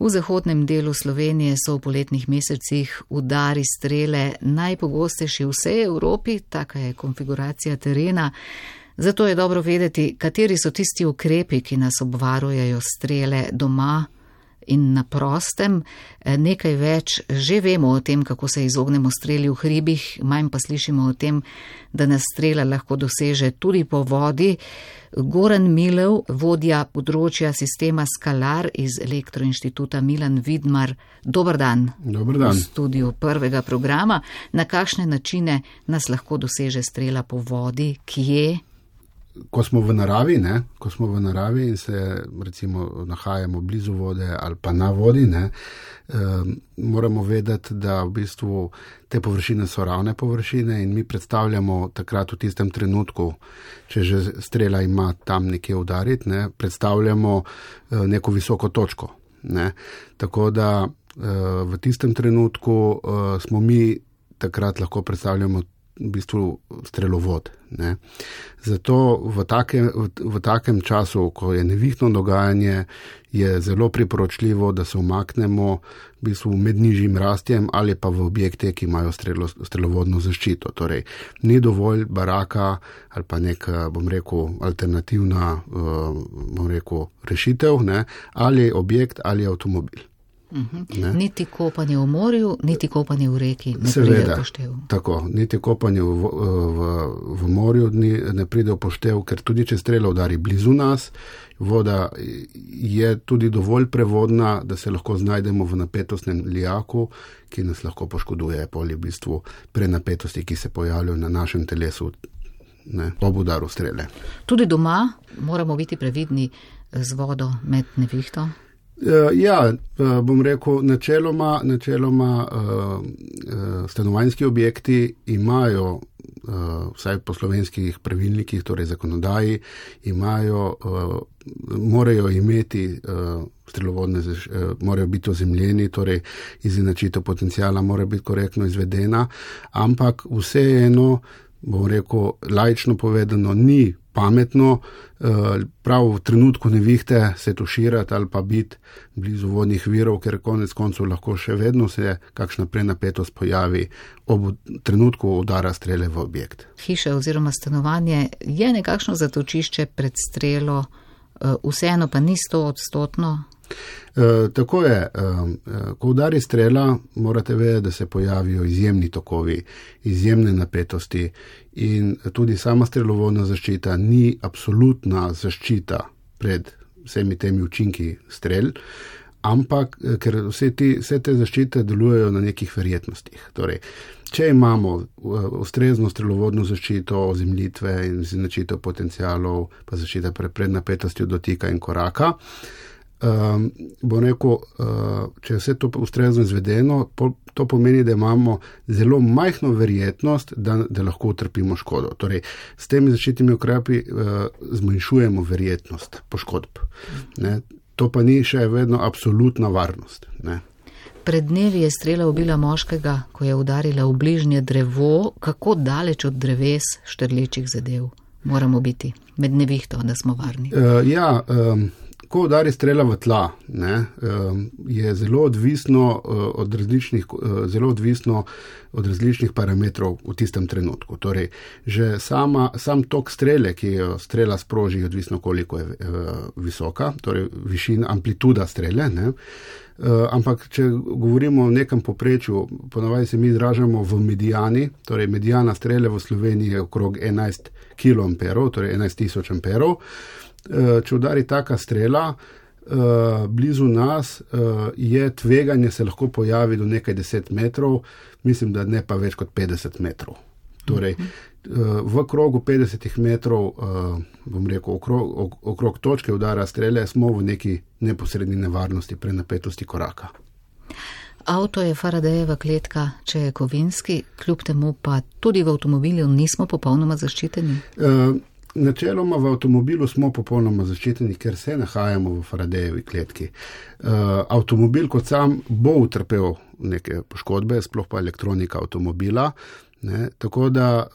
V zahodnem delu Slovenije so v poletnih mesecih udari strele najpogostejši v vsej Evropi, taka je konfiguracija terena. Zato je dobro vedeti, kateri so tisti ukrepi, ki nas obvarujejo strele doma in na prostem. Nekaj več že vemo o tem, kako se izognemo streli v hribih, manj pa slišimo o tem, da nas strela lahko doseže tudi po vodi. Goran Milev, vodja področja sistema Skalar iz Elektroinštituta Milan Vidmar. Dober dan. Dober dan. V studiu prvega programa. Na kakšne načine nas lahko doseže strela po vodi, kje? Ko smo v naravi, in se recimo nahajamo blizu vode ali pa na vodi, moramo vedeti, da v bistvu te površine so ravne površine in mi predstavljamo takrat v tistem trenutku, če že strela ima tam nekje udariti, predstavljamo neko visoko točko. Tako da v tistem trenutku smo mi takrat lahko predstavljamo v bistvu strelovod. Zato v takem času, ko je nevihno dogajanje, je zelo priporočljivo, da se umaknemo v bistvu med nižjim rastjem ali pa v objekte, ki imajo strelovodno zaščito. Torej, ni dovolj baraka ali pa neka, alternativna, rešitev, ali objekt ali avtomobil. Niti kopanje v morju, niti kopanje v reki ne pride v poštev. Tako, niti kopanje v morju ne pride v poštev, ker tudi če strela udari blizu nas, voda je tudi dovolj prevodna, da se lahko znajdemo v napetostnem lijaku, ki nas lahko poškoduje v bistvu prenapetosti, ki se pojavljajo na našem telesu ob udaru strele. Tudi doma moramo biti previdni z vodo med nevihto? Načeloma stanovanjski objekti imajo, vsaj po slovenskih pravilnikih, torej zakonodaji, morajo imeti strelovodne, morajo biti ozemljeni, torej izenačitev potencijala mora biti korektno izvedena, ampak vseeno, laično povedano, ni pametno prav v trenutku nevihte se tuširati ali pa biti blizu vodnih virov, ker konec koncev lahko še vedno se kakšna prenapetost pojavi ob trenutku udara strele v objekt. Hiša oziroma stanovanje je nekakšno zatočišče pred strelo, vseeno pa ni 100%? Tako je. Ko udari strela, morate vedeti, da se pojavijo izjemni tokovi, izjemne napetosti in tudi sama strelovodna zaščita ni absolutna zaščita pred vsemi temi učinki strel, ampak ker vse te zaščite delujejo na nekih verjetnostih. Torej, če imamo ustrezno strelovodno zaščito, ozemljitve in izenačitev potencialov, pa zaščita pred napetostjo dotika in koraka, če je vse to ustrezno izvedeno, to pomeni, da imamo zelo majhno verjetnost, da lahko utrpimo škodo. Torej, s temi zaščitnimi ukrepi zmanjšujemo verjetnost poškodb. To pa ni še vedno absolutna varnost. Pred dnevi je strela ubila moškega, ko je udarila v bližnje drevo. Kako daleč od dreves štrlečih zadev moramo biti med nevihto, da smo varni? Ko udari strela v tla, je zelo odvisno od različnih parametrov v tistem trenutku. Torej, že sam tok strele, ki jo strela sproži, odvisno koliko je visoka, torej višina, amplituda strele, ampak če govorimo o nekem povprečju, ponavadi se mi izražamo v medijani, torej medijana strele v Sloveniji je okrog 11 kA, torej 11.000 amperov. Če udari taka strela blizu nas, je tveganje se lahko pojavi do nekaj 10 metrov, mislim, da ne pa več kot 50 metrov. Torej, v krogu 50 metrov, okrog točke udara strele, smo v neki neposredni nevarnosti prenapetosti koraka. Avto je Faradayjeva kletka, če je kovinski, kljub temu pa tudi v avtomobilu nismo popolnoma zaščiteni? Načeloma v avtomobilu smo popolnoma zaščiteni, ker se nahajamo v Faradayjevi kletki. Avtomobil kot sam bo utrpel neke poškodbe, sploh pa elektronika avtomobila, Ne? Tako da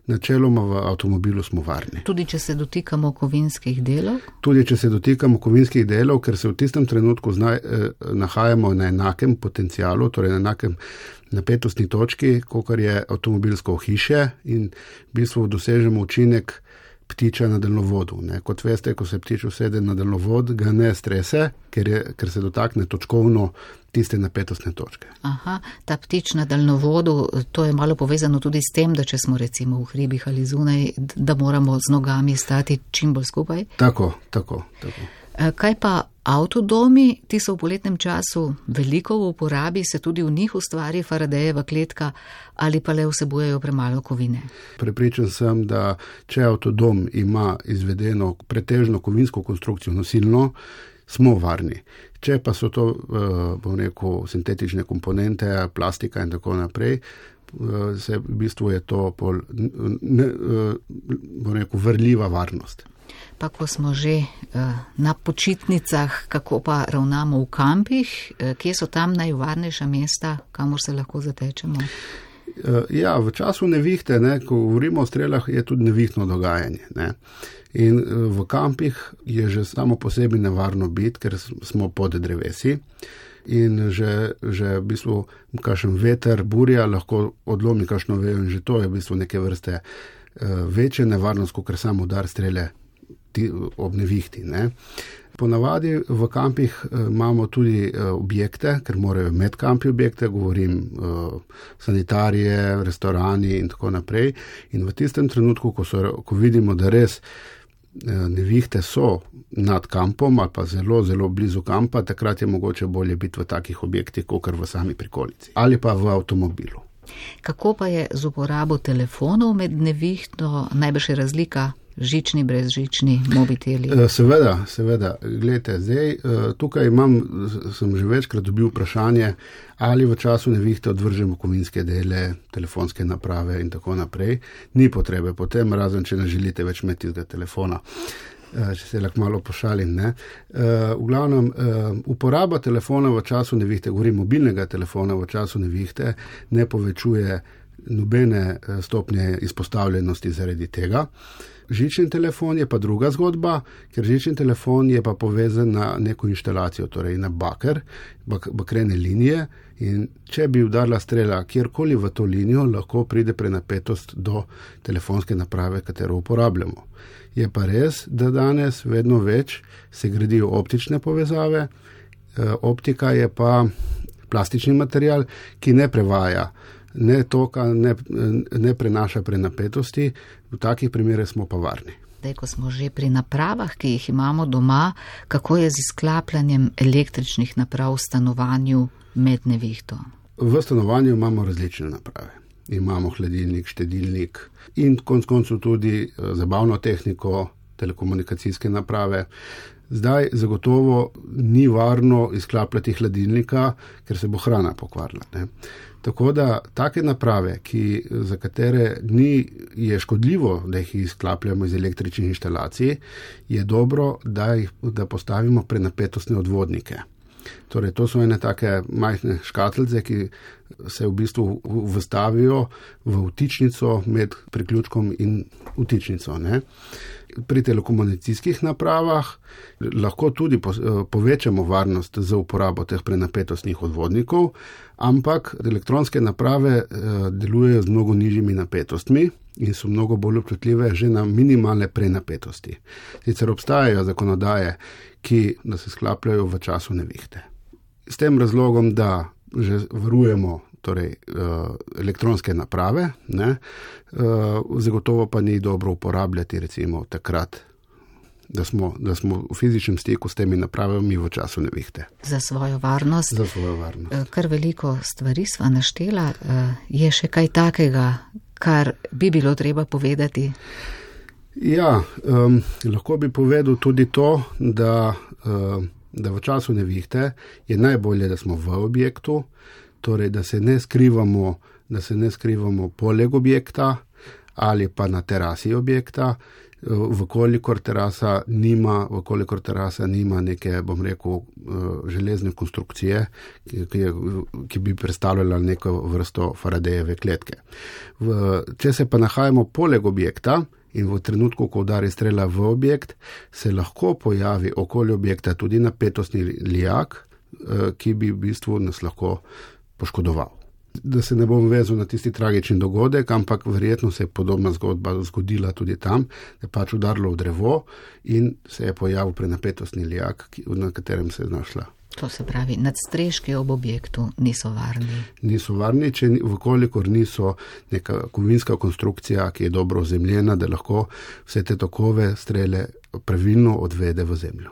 načeloma v avtomobilu smo varni. Tudi če se dotikamo kovinskih delov? Tudi če se dotikamo kovinskih delov, ker se v tistem trenutku nahajamo na enakem potencialu, torej na enakem napetostni točki, kakor je avtomobilsko ohišje in v bistvu dosežemo učinek ptiča na daljnovodu. Ne. Kot veste, ko se ptič usede na daljnovod, ga ne strese, ker se dotakne točkovno tiste napetostne točke. Aha, ta ptič na daljnovodu, to je malo povezano tudi s tem, da če smo recimo v hribih ali zunaj, da moramo z nogami stati čim bolj skupaj? Tako. Kaj pa avtodomi, ti so v poletnem času veliko v uporabi, se tudi v njih ustvari Faradayjeva kletka ali pa le vsebujejo premalo kovine? Prepričan sem, da če avtodom ima izvedeno pretežno kovinsko konstrukcijo nosilno, smo varni. Če pa so to, bom rekel, sintetične komponente, plastika in tako naprej, se v bistvu je to bom rekel, vrljiva varnost. Pa ko smo že na počitnicah, kako pa ravnamo v kampih, kje so tam najvarnejša mesta, kamor se lahko zatečemo? Ja, v času nevihte, ne, ko govorimo o strelah, je tudi nevihtno dogajanje. Ne. In v kampih je že samo po sebi nevarno biti, ker smo pod drevesi. In že v bistvu kakšen veter, burja lahko odlomi kakšno vejo in že to je v bistvu neke vrste večje nevarnost, kot samo udar strele ob nevihti. Ne. Ponavadi v kampih imamo tudi objekte, ker morajo imeti kampi objekte, govorim sanitarije, restorani in tako naprej. In v tistem trenutku, ko vidimo, da res nevihte so nad kampom ali pa zelo, zelo blizu kampa, takrat je mogoče bolje biti v takih objektih, kot v sami prikolici ali pa v avtomobilu. Kako pa je z uporabo telefonov med nevihto? Najbrž je razlika žični, brezžični, mobiteli? Seveda. Glejte, zdaj tukaj sem že večkrat dobil vprašanje, ali v času nevihte odvržemo kovinske dele, telefonske naprave in tako naprej. Ni potrebe potem, razen če ne želite več imeti tega telefona. Če se lahko malo pošalim. Ne? V glavnem, uporaba telefona v času nevihte, govorim mobilnega telefona v času nevihte, ne povečuje nobene stopnje izpostavljenosti zaradi tega. Žični telefon je pa druga zgodba, ker žični telefon je pa povezan na neko inštalacijo, torej na bakrene linije, in če bi udarila strela kjerkoli v to linijo, lahko pride prenapetost do telefonske naprave, katero uporabljamo. Je pa res, da danes vedno več se gradijo optične povezave, optika je pa plastični material, ki ne prevaja, ne toka, ne prenaša prenapetosti, v takih primerih smo pa varni. Zdaj, ko smo že pri napravah, ki jih imamo doma, kako je z izklapljanjem električnih naprav v stanovanju med nevihto? V stanovanju imamo različne naprave. Imamo hladilnik, štedilnik in konec koncev tudi zabavno tehniko, telekomunikacijske naprave. Zdaj zagotovo ni varno izklapljati hladilnika, ker se bo hrana pokvarila. Ne? Tako da take naprave, za katere je škodljivo, da jih izklapljamo iz električnih inštalacij, je dobro, da postavimo prenapetostne odvodnike. Torej, to so ene take majhne škatlice, ki se v bistvu vstavijo v vtičnico med priključkom in vtičnico. Ne? Pri telekomunikacijskih napravah lahko tudi povečamo varnost z uporabo teh prenapetostnih odvodnikov, ampak elektronske naprave delujejo z mnogo nižjimi napetostmi in so mnogo bolj občutljive že na minimalne prenapetosti. Sicer obstajajo zakonodaje, da se sklapljajo v času nevihte. S tem razlogom, da že varujemo elektronske naprave, ne, zagotovo pa ni dobro uporabljati recimo takrat, da smo v fizičnem stiku s temi napravami v času nevihte. Za svojo varnost. Za svojo varnost. Kar veliko stvari sva naštela. Je še kaj takega, kar bi bilo treba povedati? Ja, lahko bi povedal tudi to, da v času nevihte je najbolje, da smo v objektu, torej da se ne skrivamo poleg objekta ali pa na terasi objekta. Vkolikor terasa nima neke, bom rekel, železne konstrukcije, ki bi predstavljala neko vrsto Faradayjeve kletke. Če se pa nahajamo poleg objekta in v trenutku, ko udari strela v objekt, se lahko pojavi okoli objekta tudi napetostni lijak, ki bi v bistvu nas lahko poškodoval. Da se ne bom vezal na tisti tragični dogodek, ampak verjetno se je podobna zgodba zgodila tudi tam, da je pač udarilo v drevo in se je pojavil prenapetostni lijak, na katerem se je znašla. To se pravi, nadstreški ob objektu niso varni. Niso varni, vkolikor niso neka kovinska konstrukcija, ki je dobro ozemljena, da lahko vse te tokove strele pravilno odvede v zemljo.